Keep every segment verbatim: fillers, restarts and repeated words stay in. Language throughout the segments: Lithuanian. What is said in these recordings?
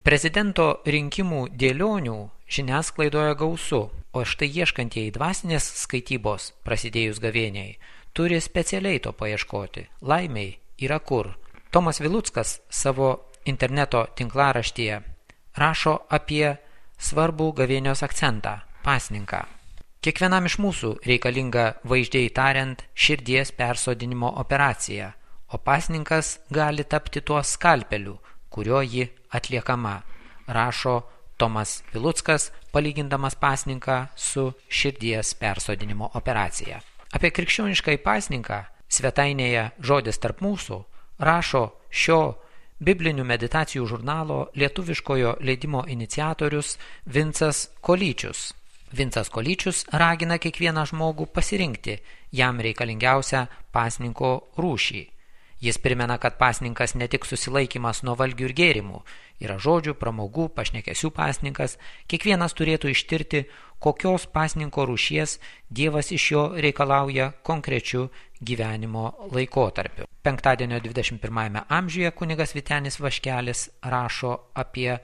Prezidento rinkimų dėlionių žiniasklaidoje gausu, o štai ieškantieji dvasinės skaitybos prasidėjus gavėniai turi specialiai to paieškoti. Laimiai yra kur. Tomas Viluckas savo interneto tinklaraštyje rašo apie svarbų gavėnios akcentą – pasninką. Kiekvienam iš mūsų reikalinga, vaizdžiai tariant, širdies persodinimo operacija, o pasninkas gali tapti tuo skalpeliu, kurio ji atliekama, rašo Tomas Viluckas, palygindamas pasninką su širdies persodinimo operacija. Apie krikščioniškąjį pasninką svetainėje Žodis tarp mūsų rašo šio biblinių meditacijų žurnalo lietuviškojo leidimo iniciatorius Vincas Kolyčius. Vincas Kolyčius ragina kiekvieną žmogų pasirinkti jam reikalingiausią pasninko rūšį. Jis primena, kad pasninkas ne tik susilaikymas nuo valgių ir gėrimų, yra žodžių, pramogų, pašnekesių pasninkas, kiekvienas turėtų ištirti, kokios pasninko rūšies Dievas iš jo reikalauja konkrečiu gyvenimo laikotarpiu. Penktadienio dvidešimt pirmajame amžiuje kunigas Vytenis Vaškelis rašo apie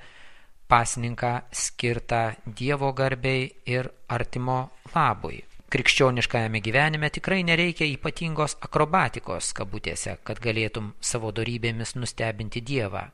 pasninką skirtą Dievo garbei ir artimo labui. Krikščioniškajame gyvenime tikrai nereikia ypatingos akrobatikos kabutėse, kad galėtum savo dorybėmis nustebinti Dievą.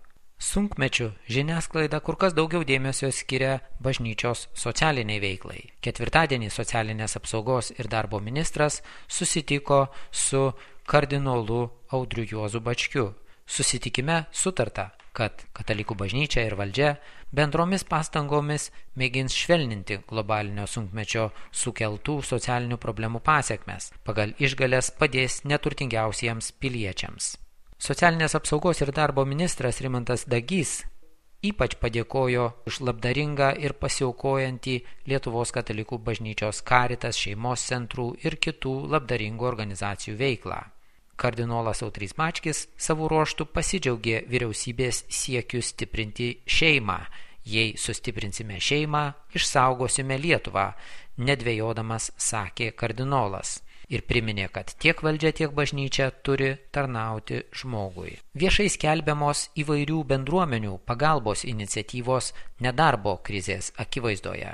Sunkmečių žiniasklaida kur kas daugiau dėmesio skiria bažnyčios socialiniai veiklai. Ketvirtadienį socialinės apsaugos ir darbo ministras susitiko su kardinolu Audriu Juozu Bačkiu. Susitikime sutarta, kad katalikų bažnyčia ir valdžia bendromis pastangomis mėgins švelninti globalinio sunkmečio sukeltų socialinių problemų pasekmes, pagal išgales padės neturtingiausiems piliečiams. Socialinės apsaugos ir darbo ministras Rimantas Dagys ypač padėkojo už labdaringą ir pasiaukojantį Lietuvos katalikų bažnyčios Caritas, šeimos centrų ir kitų labdaringų organizacijų veiklą. Kardinolas Audrys Bačkis savo ruožtų pasidžiaugė vyriausybės siekiu stiprinti šeimą. Jei sustiprinsime šeimą, išsaugosime Lietuvą, nedvejodamas sakė kardinolas. Ir priminė, kad tiek valdžia, tiek bažnyčia turi tarnauti žmogui. Viešai skelbiamos įvairių bendruomenių pagalbos iniciatyvos nedarbo krizės akivaizdoje.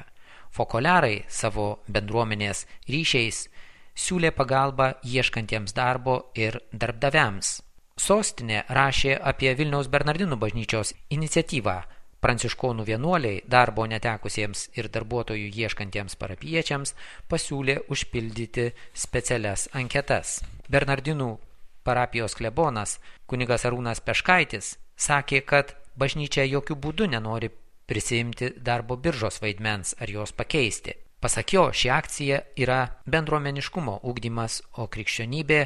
Fokoliarai savo bendruomenės ryšiais siūlė pagalbą ieškantiems darbo ir darbdaviams. Sostinė rašė apie Vilniaus Bernardinų bažnyčios iniciatyvą. Pranciškonų vienuoliai darbo netekusiems ir darbuotojų ieškantiems parapiečiams pasiūlė užpildyti specialias anketas. Bernardinų parapijos klebonas kunigas Arūnas Peškaitis sakė, kad bažnyčia jokių būdų nenori prisiimti darbo biržos vaidmens ar jos pakeisti. Pasak jo, ši akcija yra bendruomeniškumo ugdymas, o krikščionybė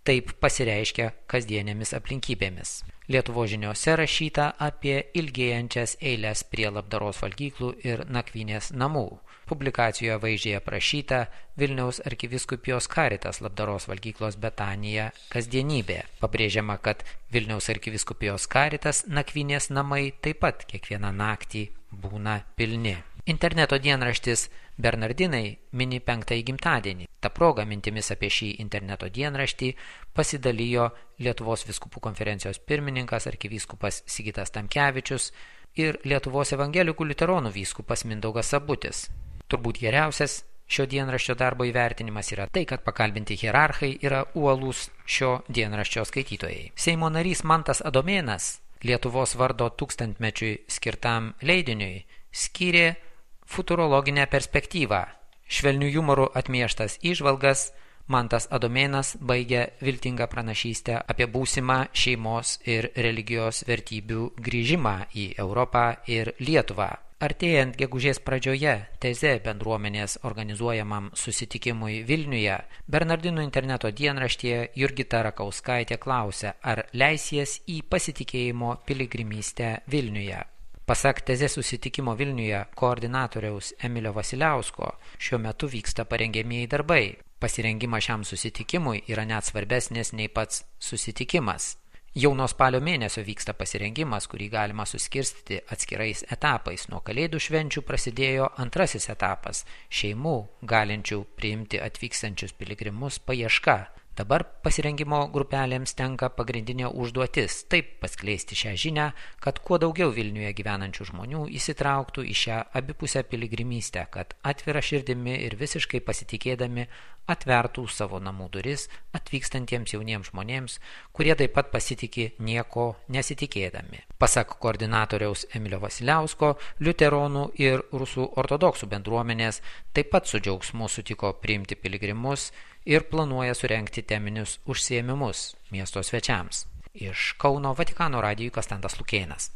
taip pasireiškia kasdienėmis aplinkybėmis. Lietuvos žiniose rašyta apie ilgėjančias eiles prie labdaros valgyklų ir nakvynės namų. Publikacijoje vaizdžiai aprašyta Vilniaus arkivyskupijos Caritas labdaros valgyklos Betanija kasdienybė. Pabrėžiama, kad Vilniaus arkivyskupijos Caritas nakvynės namai taip pat kiekvieną naktį būna pilni. Interneto dienraštis Bernardinai mini penktąjį gimtadienį. Ta proga mintimis apie šį interneto dienraštį pasidalijo Lietuvos vyskupų konferencijos pirmininkas arkivyskupas Sigitas Tamkevičius ir Lietuvos evangelikų liuteronų vyskupas Mindaugas Sabutis. Turbūt geriausias šio dienraščio darbo įvertinimas yra tai, kad pakalbinti hierarchai yra uolūs šio dienraščio skaitytojai. Seimo narys Mantas Adomėnas Lietuvos vardo tūkstantmečiui skirtam leidiniui skyrė futurologinę perspektyvą. Švelnių humorų atmieštas įžvalgas Mantas Adomėnas baigia viltingą pranašystę apie būsimą šeimos ir religijos vertybių grįžimą į Europą ir Lietuvą. Artėjant gegužės pradžioje Teze bendruomenės organizuojamam susitikimui Vilniuje, Bernardinų interneto dienraštyje Jurgita Rakauskaitė klausia, ar leisies į pasitikėjimo piligrimystę Vilniuje. Pasak Teze susitikimo Vilniuje koordinatoriaus Emilio Vasiliausko, šiuo metu vyksta parengiamieji darbai. Pasirengimas šiam susitikimui yra net svarbesnės nei pats susitikimas. Jau nuo spalio mėnesio vyksta pasirengimas, kurį galima suskirstyti atskirais etapais. Nuo kalėdų švenčių prasidėjo antrasis etapas – šeimų galinčių priimti atvykstančius piligrimus paieška. Dabar pasirengimo grupelėms tenka pagrindinė užduotis taip paskleisti šią žinią, kad kuo daugiau Vilniuje gyvenančių žmonių įsitrauktų į šią abipusę piligrimystę, kad atvira širdimi ir visiškai pasitikėdami atvertų savo namų duris atvykstantiems jauniems žmonėms, kurie taip pat pasitikė nieko nesitikėdami. Pasak koordinatoriaus Emilio Vasiliausko, liuteronų ir rusų ortodoksų bendruomenės taip pat su džiaugsmu sutiko priimti piligrimus ir planuoja surengti teminius užsiėmimus miesto svečiams. Iš Kauno Vatikano radijui Konstantas Lukėnas.